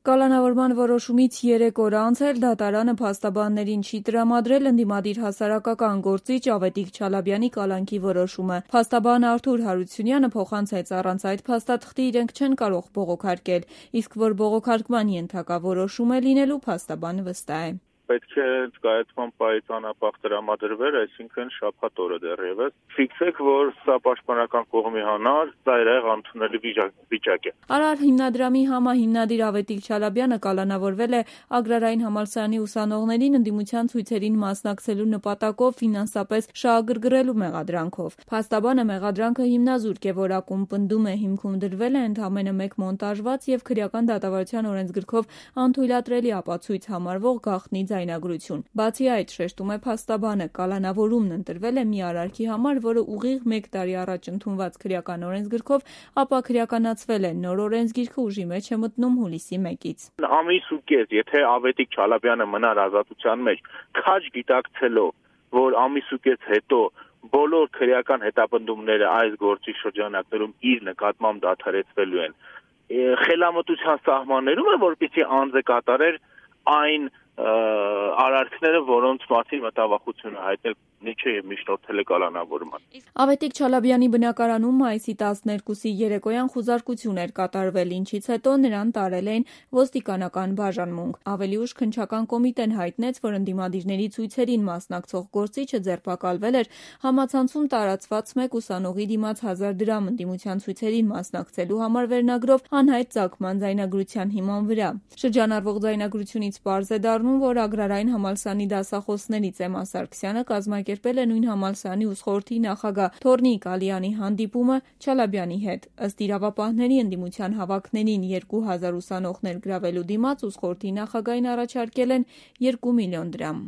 Կալանավորման որոշումից 3 օր անց էլ դատարանը փաստաբաններին չի տրամադրել ընդդիմադիր հասարակական գործիչ Ավետիք Չալաբյանի կալանքի որոշումը։ Փաստաբան Արթուր Հարությունյանը փոխանցեց առանց այդ փաստաթղթի իրենք չեն կարող բողոքարկել, իսկ որ բողոքարկման ենթակա որոշում է լինելու փաստաբանը վստահ է։ Պետք է կայացման պահից անապահ տրամադրվեր, այսինքն շաբաթ օրը դեռևս։ Ֆիքսեք, որ սա պաշտպանական կողմի հանար, ծայրահեղ ընդունելի վիճակ է։ Արար հիմնադրամի համահիմնադիր Ավետիք Չալաբյանը կալանավորվել է Ագրարային համալսարանի ուսանողներին ընդդիմության ցույցերին մասնակցելու նպատակով ֆինանսապես շահագրգռելու մեղադրանքով։ Փաստաբանը մեղադրանքը հիմնազուրկ է որակում, պնդում է հիմքում դրվել է ընդամենը մեկ մոնտաժված եւ քրեական դատավարության օրենսգրքով անթույլատրելի ապացույց համարվող գաղտնի ձայնագրություն։ Բացի այդ, շեշտում է փաստաբանը, կալանավորումն ընտրվել է մի արարքի համար, որը ուղիղ 1 տարի առաջ ընդունված քրեական օրենսգրքով ապա քրեականացվել է, նոր օրենսգիրքը ուժի մեջ է մտնում հուլիսի 1-ից։ Ամիս ու կես, եթե Ավետիք Չալաբյանը մնար ազատության մեջ, քաջ գիտակցելով, որ ամիս ու կես հետո բոլոր քրեական հետապնդումները այս գործի շրջանակներում իր նկատմամբ դադարեցվելու են, խելամտության սահմաններում է, որպեսզի անձը կատարեր այն արարքները, որոնց մասին մտավախություն է հայտնել Նիչը եւ միջնորդել է կալանավորման։ Ավետիք Չալաբյանի բնակարանում մայիսի 12-ի երեկոյան խուզարկություն էր կատարվել, ինչից հետո նրան տարել էին ոստիկանական բաժանմունք։ Ավելի ուշ քննչական կոմիտեն հայտնեց, որ ընդդիմադիրների ցույցերին մասնակցող գործիչը ձերբակալվել էր համացանցում տարածված մեկ ուսանողի դիմաց 1000 դրամ ընդդիմության ցույցերին մասնակցելու համար վերնագրով անհայտ ծագման ձայնագրության հիման վրա։ Շրջանառվող ձայնագրությունից պարզ է դառնում, որ Ագրարային համալսարանի դասախոսներից Էմմա Սարգսյանը կազմակերպել է նույն համալսարանի ուսխորհրդի նախագահ Թորնիկ Ալյանի հանդիպումը Չալաբյանի հետ։ Ըստ իրավապահների, ընդդիմության հավաքներին 2000 ուսանողներ գրավելու դիմաց ուսխորհրդի նախագահին առաջարկել են 2 միլիոն դրամ։